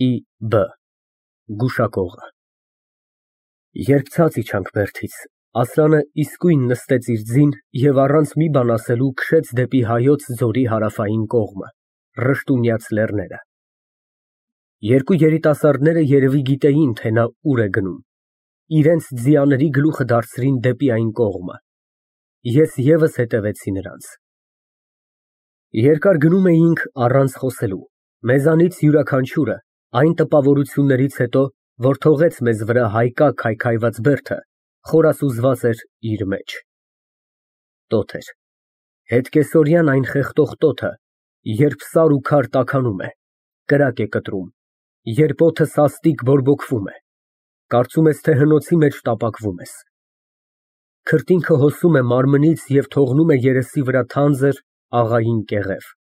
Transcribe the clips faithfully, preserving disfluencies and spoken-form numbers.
ի բը Գուշակողը Երբ ցած իջանք բերդից, Ասլանը իսկույն նստեց իր ձին և առանց մի բան ասելու քշեց դեպի Հայոց ձորի հարավային կողմը, Ռշտունյաց լեռները։ Երկու երիտասարդները երևի գիտեին, թե նա ուր է գնում, իրենց ձիաների գլուխը դարձրին դեպի այն կողմը, ես ևս հետևեցի նրանց։ Երկար գնում էինք առանց խոսելու, մեզանից յուրաքանչյուրը այն տպավորություններից հետո, որ թողեց մեզ վրա հայկա քայքայված բերդը, խորասուզված էր իր մեջ։ Տոթ էր, հետկեսօրյան այն խեղդող տոթը, երբ սար ու քար տաքանում է, կրակ է կտրում, երբ օդը սաստիկ բորբոքվում է, կարծում ես, թե հնոցի մեջ տապակվում ես։ Քրտինքը հոսում է մարմնից և թողնում է երեսի վրա թանձր, աղային կեղև։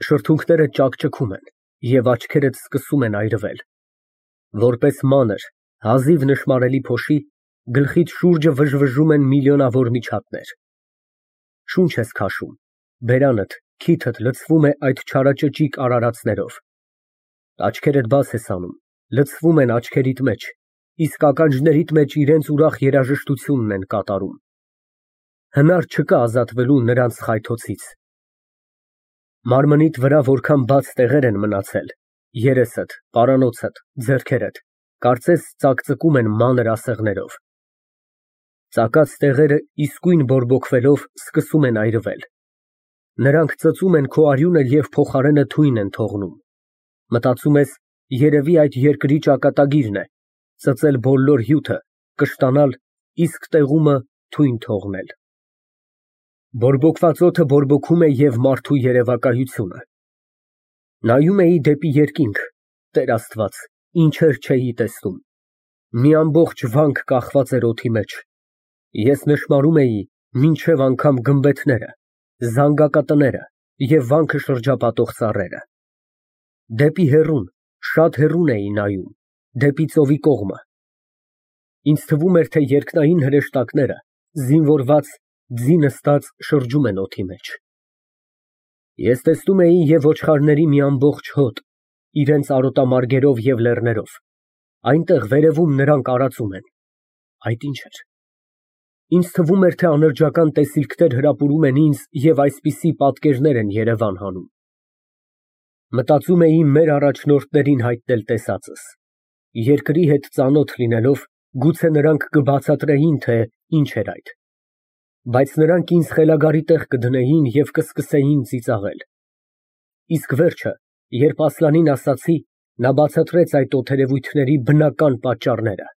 Շրթունքները ճաքճքում են և աչքերդ սկսում են այրվել։ Որպես մանր, հազիվ նշմարելի փոշի, գլխիդ շուրջը վժվժում են միլիոնավոր միջատներ։ Շունչ ես քաշում, բերանդ, քիթդ լցվում է այդ չարաճճիկ արարածներով։ Աչքերդ բաց ես անում, լցվում են աչքերիդ մեջ, իսկ ականջներիդ մեջ իրենց ուրախ երաժշտությունն են կատարում։ Հնար չկա ազատվելու նրանց խայթոցից։ Մարմնիդ վրա որքան բաց տեղեր են մնացել, երեսդ, պարանոցդ, ձեռքերդ, կարծես ծակծկում են մանր ասեղներով։ Ծակած տեղերը իսկույն բորբոքվելով սկսում են այրվել։ Նրանք ծծում են քո արյունը և փոխարենը թույն են թողնում։ Մտածում ես, երևի այդ երկրի ճակատագիրն է, ծծել բոլոր հյութը, կշտանալ, իսկ տեղումը թույն թողնել։ Բորբոքված օդը բորբոքում է և մարդու երևակայությունը։ Նայում էի դեպի երկինք, Տեր Աստված, ինչեր չէի տեսնում։ Մի ամբողջ վանք կախված էր օդի մեջ։ Ես նշմարում էի մինչև անգամ գմբեթները, զանգակատները և վանքը շրջապատող ծառերը։ Դեպի հեռուն, շատ հեռուն էի նայում, դեպի ծովի կողմը։ Ինձ թվում էր, թե երկնային հրեշտակները, զինվորված, ձի նստած շրջում են օդի մեջ։ Ես տեսնում էի և ոչխարների մի ամբողջ հոտ, իրենց արոտամարգերով և լեռներով, այնտեղ վերևում նրանք արածում են։ Այդ ի՞նչ էր։ Ինձ թվում էր, թե անրջական տեսիլքներ հրապուրում են ինձ և այսպիսի պատկերներ են երևան հանում։ Մտածում էի մեր առաջնորդներին հայտնել տեսածս։ Երկրի հետ ծանոթ լինելով, գուցե նրանք կբացատրեին, թե ինչ էր այդ։ Բայց նրանք ինձ խելագարի տեղ կդնեին և կսկսեին ծիծաղել։ Իսկ վերջը, երբ Ասլանին ասացի, նա բացատրեց այդ օդերևույթների բնական պատճառները,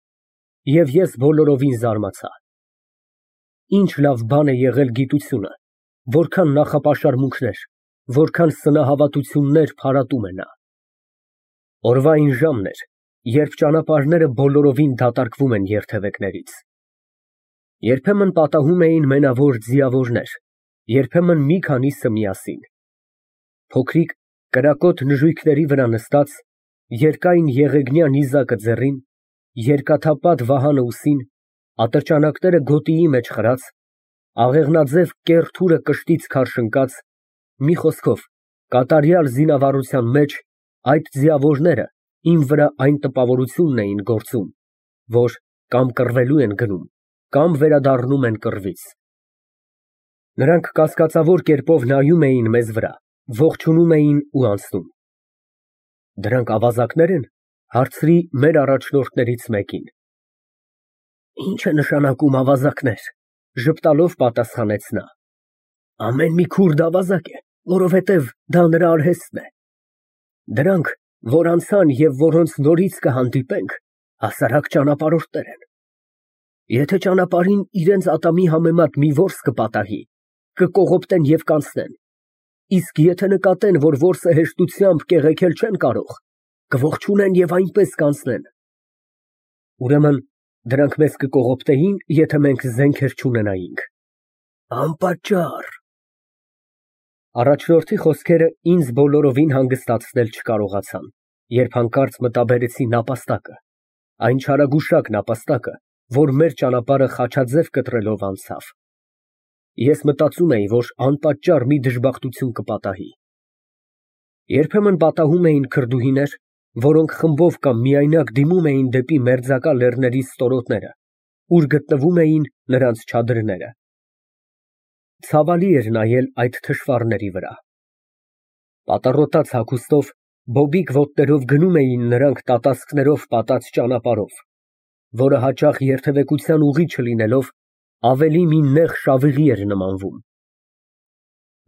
և ես բոլորովին զարմացա։ Ինչ լավ բան է եղել գիտությունը, որքան նախապաշարմունքներ, որքան սնահավատություններ փարատում է նա։ Օրվա այն ժամն էր, երբ ճանապարհները բոլորովին դատարկվում են երթևեկներից։ Երբեմն պատահում էին մենավոր ձիավորներ, երբեմն մի քանիսը միասին։ Փոքրիկ, կրակոտ նժույգների վրա նստած, երկայն եղեգնյա նիզակը ձեռին, երկաթապատ վահանը ուսին, ատրճանակները գոտիի մեջ խրած, աղեղնաձև կեռ թուրը կշտից քարշընկած, մի խոսքով, կատարյալ զինավառության մեջ, այդ ձիավորները իմ վրա այն տպավորությունն էին գործում, որ կամ կռվելու են գնում, կամ վերադառնում են կռվից։ Նրանք կասկածավոր կերպով նայում էին մեզ վրա, ողջունում էին ու անցնում։ Դրանք ավազակնե՞ր են, հարցրի մեր առաջնորդներից մեկին։ Ի՞նչ է նշանակում ավազակներ, ժպտալով պատասխանեց նա։ Ամեն մի քուրդ ավազակ է, որովհետև դա նրա արհեստն է։ Դրանք, որ անցան և որոնց նորից կհանդիպենք, հասարակ ճանապարհորդներ են։ Եթե ճանապարհին իրենց ատամի համեմատ մի որս կպատահի, կկողոպտեն և կանցնեն, իսկ եթե նկատեն, որ որսը հեշտությամբ կեղեքել չեն կարող, կողջունեն և այնպես կանցնեն։ Ուրեմն դրանք մեզ կկողոպտեին, եթե մենք զենքեր չունենայինք։ Անպատճառ։ Առաջնորդի խոսքերը ինձ բոլորովին հանգստացնել չկարողացան, երբ հանկարծ մտաբերեցի նապաստակը, այն չարագուշակ նապաստակը, որ մեր ճանապարհը խաչաձև կտրելով անցավ։ Ես մտածում էի, որ անպատճառ մի դժբախտություն կպատահի։ Երբեմն պատահում էին քրդուհիներ, որոնք խմբով կամ միայնակ դիմում էին դեպի մերձակա լեռների ստորոտները, ուր գտնվում էին նրանց չադրները։ Ցավալի էր նայել այդ թշվառների վրա։ Պատառոտած հագուստով, բոբիկ ոտներով գնում էին նրանք տատասկներով պատած ճանապարհով, որը հաճախ երթևեկության ուղի չլինելով, ավելի մի նեղ շավիղի էր նմանվում։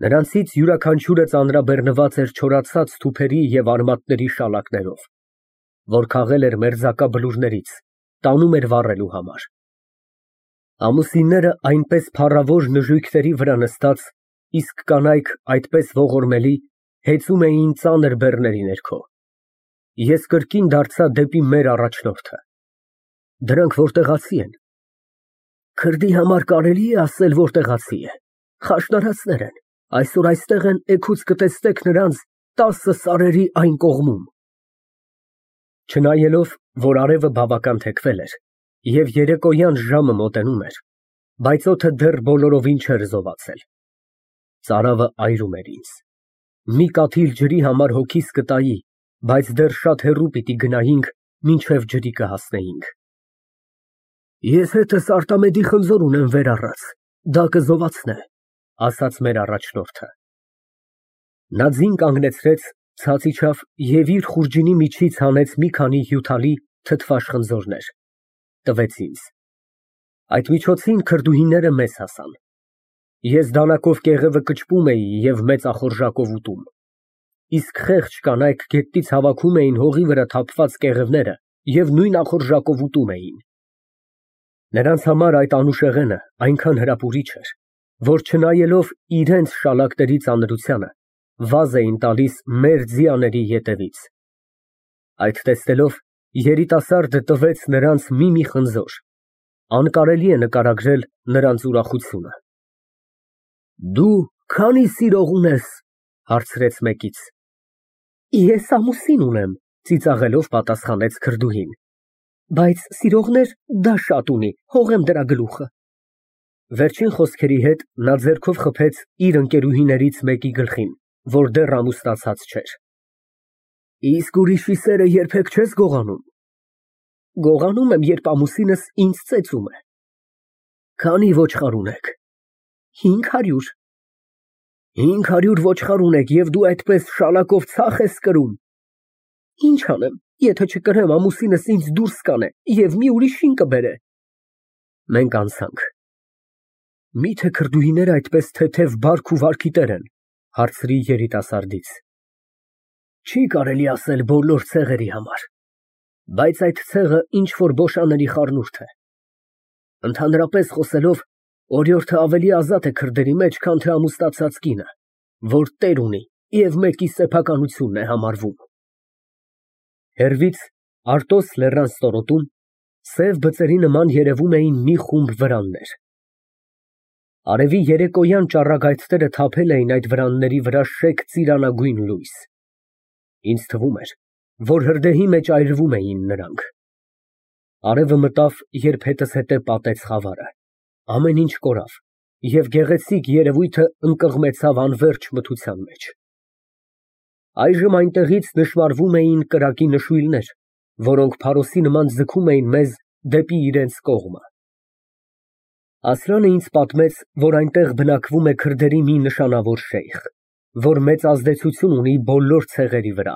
Նրանցից յուրաքանչյուրը ծանրաբեռնված էր չորացած թուփերի և արմատների շալակներով, որ քաղել էր մերձակա բլուրներից, տանում էր վառելու համար։ Ամուսինները այնպես փառավոր նժույգների վրա նստած, իսկ կանայք այդպես ողորմելի, հեծում էին ծանր բեռների ներքո։ Ես կրկին դարձա դեպի մեր առաջնորդը։ Դրանք որտեղացի են։ Քրդի համար կարելի է ասել, որ տեղացի է։ Խաշնարածներ են, այսօր այստեղ են, էգուց կտեսնեք նրանց տասը սարերի այն կողմում։ Չնայելով, որ արևը բավական թեքվել էր, և երեկոյան ժամը մոտենում էր, բայց օդը դեռ բոլորովին չէր զովացել։ Ծարավը այրում էր ինձ։ Մի կաթիլ ջրի համար հոգիս կտայի, բայց դեռ շատ հեռու պիտի գնայինք, մինչև ջրի կհասնեինք։ Ես հետս Արտամեդի խնձոր ունեմ վեր առած, դա կզովացնե, ասաց մեր առաջնորդը։ Նա ձին կանգնեցրեց, ցած իջավ և իր խուրջինի միջից հանեց մի քանի հյութալի, թթվաշ խնձորներ, տվեց ինձ։ Այդ միջոցին քրդուհիները մեզ հասան։ Ես դանակով կեղևը կճպում էի և մեծ ախորժակով ուտում, իսկ խեղճ կանայք գետնից հավաքում էին հողի վրա թափված կեղևները և նույն ախորժակով ուտում էին։ Նրանց համար այդ անուշեղենը այնքան հրապուրիչ էր, որ չնայելով իրենց շալակների ծանրությանը, վազ էին տալիս մեր ձիաների ետևից։ Այդ տեսնելով, երիտասարդը տվեց նրանց մի-մի խնձոր, անկարելի է նկարագրել նրանց ուրախությունը։ Դու քանի սիրող ունես, հարցրեց մեկից։ Ես ամուսին ունեմ, ծիծաղելով պատասխանեց քրդուհին, բայց սիրողներ դա շատ ունի, հողեմ դրա գլուխը։ Վերջին խոսքերի հետ նա ձեռքով խփեց իր ընկերուհիներից մեկի գլխին, որ դեռ ամուսնացած չէր։ Իսկ ուրիշի սերը երբեք չես գողանում։ Գողանում եմ, երբ ամուսինս ինձ ծեծում է։ Քանի ոչխար ունեք։ Հինգ հարյուր։ Հինգ հարյուր ոչխար ունեք և դու այդպես շալակով ցախ ես կրում։ Ինչ անեմ, եթե չկրեմ, ամուսինս ինձ դուրս կանե և մի ուրիշին կբերե։ Մենք անցանք։ Մի՞թե քրդուհիները այդպես թեթև բարք ու վարքի տեր են, հարցրի երիտասարդից։ Չի կարելի ասել բոլոր ցեղերի համար, բայց այդ ցեղը ինչ֊որ բոշաների խառնուրդ է։ Ընդհանրապես խոսելով, օրիորդը ավելի ազատ է քրդերի մեջ, քան թե ամուսնացած կինը, որ տեր ունի և մեկի սեփականությունն է համարվում։ Հեռվից, Արտոս լեռան ստորոտում, սև բծերի նման երևում էին մի խումբ վրաններ։ Արևի երեկոյան ճառագայթները թափել էին այդ վրանների վրա շեկ ծիրանագույն լույս։ Ինձ թվում էր, որ հրդեհի մեջ այրվում էին նրանք։ Արևը մտավ, երբ հետս հետե պատեց խավարը, ամեն ինչ կորավ, և գեղեցիկ երևույթը ընկղմեցավ անվերջ մթության մեջ։ Այժմ այնտեղից նշմարվում էին կրակի նշույլներ, որոնք փարոսի նման ձգում էին մեզ դեպի իրենց կողմը։ Ասլանը ինձ պատմեց, որ այնտեղ բնակվում է քրդերի մի նշանավոր շեյխ, որ մեծ ազդեցություն ունի բոլոր ցեղերի վրա,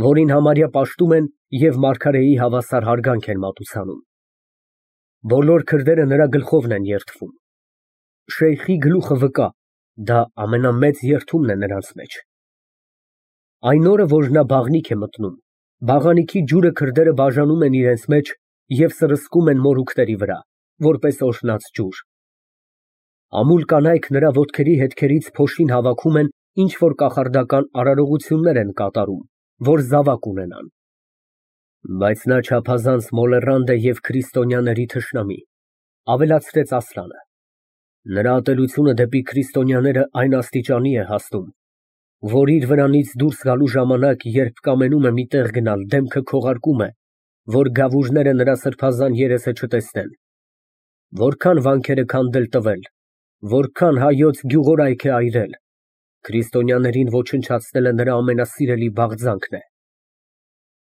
որին համարյա պաշտում են և մարգարեի հավասար հարգանք են մատուցանում։ Բոլոր քրդերը նրա գլխովն են երդվում։ Շեյխի գլուխը վկա, դա ամենամեծ երդումն է նրանց մեջ։ Այն օրը, որ նա բաղնիք է մտնում, բաղանիքի ջուրը քրդերը բաժանում են իրենց մեջ և սրսկում են մորուքների վրա, որպես օրհնած ջուր։ Ամուլ կանայք նրա ոտքերի հետքերից փոշին հավաքում են, ինչ֊որ կախարդական արարողություններ են կատարում, որ զավակ ունենան։ Բայց նա չափազանց մոլեռանդ է և քրիստոնյաների թշնամի, ավելացրեց Ասլանը։ Նրա ատելությունը դեպի քրիստոնյաները այն աստիճանի է հասնում, որ իր վրանից դուրս գալու ժամանակ, երբ կամենում է մի տեղ գնալ, դեմքը քողարկում է, որ գավուրները նրա սրբազան երեսը չտեսնեն։ Որքան վանքեր է քանդել տվել, որքան հայոց գյուղորայք է այրել, քրիստոնյաներին ոչնչացնելը նրա ամենասիրելի բաղձանքն է։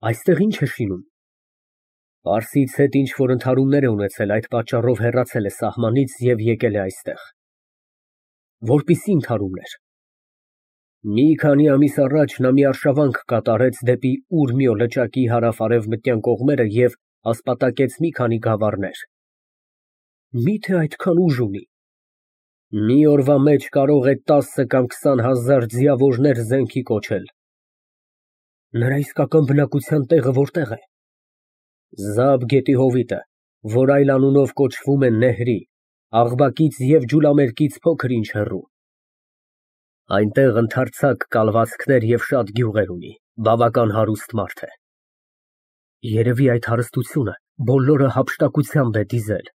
Այստեղ ի՞նչ է շինում։ Պարսից հետ ինչ որ ընդհարումներ է ունեցել, այդ պատճառով հեռացել է սահմանից և եկել է այստեղ։ Որպիսի՞ ընդհարումներ։ Մի քանի ամիս առաջ նա մի արշավանք կատարեց դեպի Ուրմիո լճակի հարավ֊արևմտյան կողմերը և ասպատակեց մի քանի գավառներ։ Մի՞թե այդքան ուժ ունի։ Մի օրվա մեջ կարող է տասը կամ քսան հազար ձիավորներ զենքի կոչել։ Նրա իսկական բնակության տեղը որտե՞ղ է։ Զաբ գետի հովիտը, որ այլ անունով կոչվում է Նեհրի, Աղբակից և Ջուլամերկից փոքր ինչ հեռու։ Այնտեղ ընդարձակ կալվածքներ և շատ գյուղեր ունի, բավական հարուստ մարդ է։ Երևի այդ հարստությունը բոլորը հափշտակությամբ է դիզել։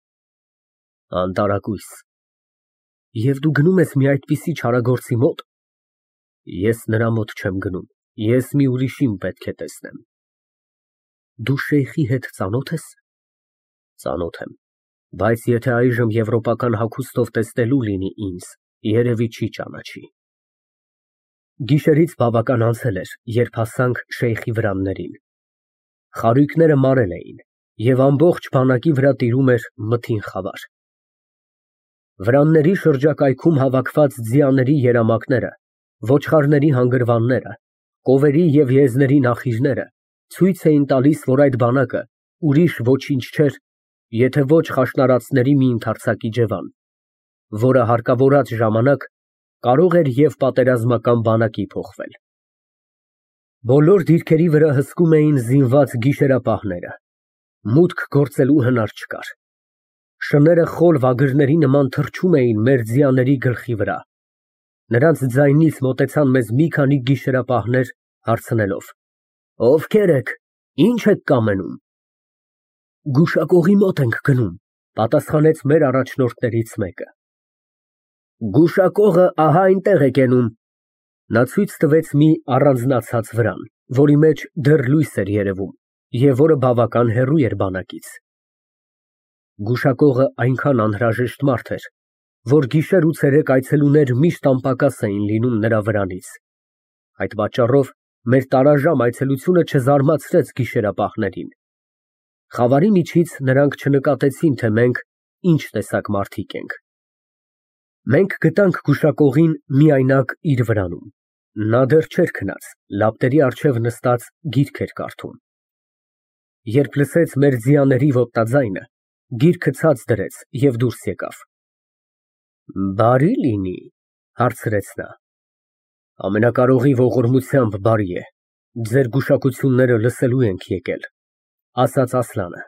Անտարակույս։ Եվ դու գնում ես մի այդպիսի չարագործի մոտ։ Ես նրա մոտ չեմ գնում, ես մի ուրիշին պետք է տեսնեմ։ Դու շեյխի հետ ծանո՞թ ես։ Ծանոթ եմ, բայց եթե այժմ եվրոպական հագուստով տեսնելու լինի ինձ, երևի չի ճանաչի։ Գիշերից բավական անցել էր, երբ հասանք շեյխի վրաններին։ Խարույկները մարել էին, և ամբողջ բանակի վրա տիրում էր մթին խավար։ Վրանների շրջակայքում հավաքված ձիաների երամակները, ոչխարների հանգրվանները, կովերի և եզների նախիժները ցույց էին տալիս, որ այդ բանակը ուրիշ ոչինչ չէր, եթե ոչ խաշնարածների մի ընդարձակ իջևան, որը հարկավորած ժամանակ կարող էր և պատերազմական բանակի փոխվել։ Բոլոր դիրքերի վրա հսկում էին զինված գիշերապահները։ Մուտք գործելու հնար չկար։ Շները խոլ վագրերի նման թռչում էին մեր ձիաների գլխի վրա։ Նրանց ձայնից մոտեցան մեզ մի քանի գիշերապահներ, հարցնելով. Ովքե՞ր եք, ի՞նչ եք կամենում։ Գուշակողի մոտ ենք գնում, պատասխանեց մեր առաջնորդներից մեկը։ Գուշակողը ահա այնտեղ է կենում։ Նա ցույց տվեց մի առանձնացած վրան, որի մեջ դեռ լույս էր երևում, և որը բավական հեռու էր բանակից։ Գուշակողը այնքան անհրաժեշտ մարդ էր, որ գիշեր ու ցերեկ այցելուներ միշտ անպակաս էին լինում նրա վրանից։ Այդ պատճառով մեր տարաժամ այցելությունը չզարմացրեց գիշերապահներին։ Խավարի միջից նրանք չնկատեցին, թե մենք ինչ տեսակ մարդիկ ենք։ Մենք գտանք գուշակողին միայնակ իր վրանում։ Նա դեռ չէր քնած, լապտերի առջև նստած գիրք էր կարդում։ Երբ լսեց մեր ձիաների ոտնաձայնը, գիրքը ցած դրեց և դուրս եկավ։ Բարի լինի, հարցրեց նա։ Ամենակարողի ողորմությամբ բարի է, ձեր գուշակությունները լսելու ենք եկել, ասաց Ասլանը։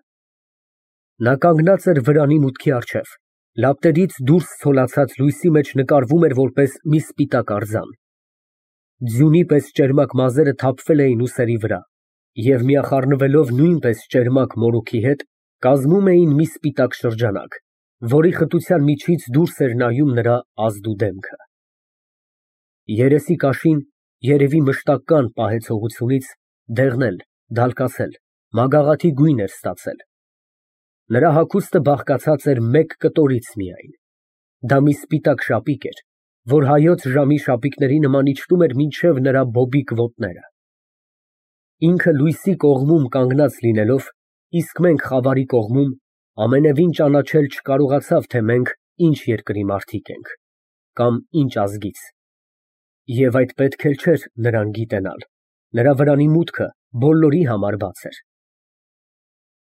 Նա կանգնած էր վրանի մուտքի առջև, լապտերից դուրս ցոլացած լույսի մեջ նկարվում էր որպես մի սպիտակ արձան։ Ձյունի պես ճերմակ մազերը թափվել էին ուսերի վրա և միախառնվելով նույնպես ճերմակ մորուքի հետ, կազմում էին մի սպիտակ շրջանակ, որի խտության միջից դուրս էր նայում նրա ազդու դեմքը։ Երեսի կաշին, երևի մշտական պահեցողությունից, դեղնել, դալկացել, մագաղաթի գույն էր ստացել։ Նրա հագուստը բաղկացած էր մեկ կտորից միայն։ Դա մի սպիտակ շապիկ էր, որ հայոց ժամի շապիկների նման իջնում էր մինչև նրա բոբիկ ոտները։ Ինքը լույսի կողմում կանգնած լինելով, իսկ մենք խավարի կողմում, ամենևին ճանաչել չկարողացավ, թե մենք ինչ երկրի մարդիկ ենք, կամ ինչ ազգից։ Եվ այդ պետք էլ չէր նրան գիտենալ, նրա վրանի մուտքը բոլորի համար բաց էր։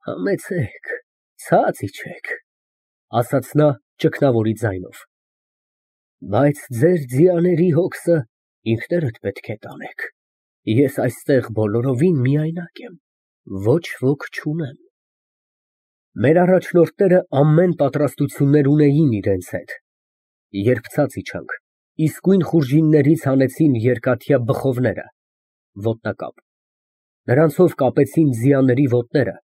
Համեցեք, ցած իջեք, ասաց նա ճգնավորի ձայնով։ Բայց ձեր ձիաների հոգսը ինքներդ պետք է տանեք, ես այստեղ բոլորովին միայնակ եմ, ոչ ոք չունեմ։ Մեր առաջնորդները ամեն պատրաստություններ ունեին իրենց հետ։ Երբ ցած իջանք, իսկույն խուրջիններից հանեցին երկաթյա բխովները, ոտնակապ։ Նրանցով կապեցին ձիաների ոտները,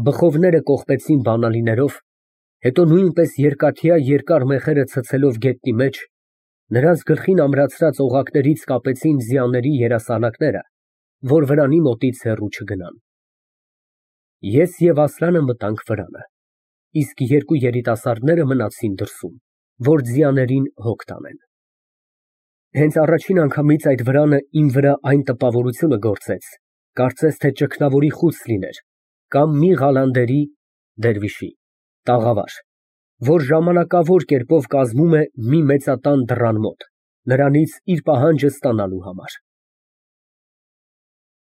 բխովները կողպեցին բանալիներով, հետո նույնպես երկաթյա երկար մեխերը ցցելով գետնի մեջ, նրանց գլխին ամրացրած օղակներից կապեցին ձիաների երասանակները, որ վրանի մոտից հեռու չգնան։ Ես և Ասլանը մտանք վրանը, իսկ երկու երիտասարդները մնացին դրսում, որ ձիաներին հոգ տանեն։ Հենց առաջին անգամից այդ վրանը իմ վրա այն տպավորությունը գործեց, Կարծես թե ճգնավորի խուծ լիներ կամ մի Ղալանդերի տաղավար, որ ժամանակավոր կերպով կազմում է մի մեծատան դռան մոտ, նրանից իր պահանջը ստանալու համար։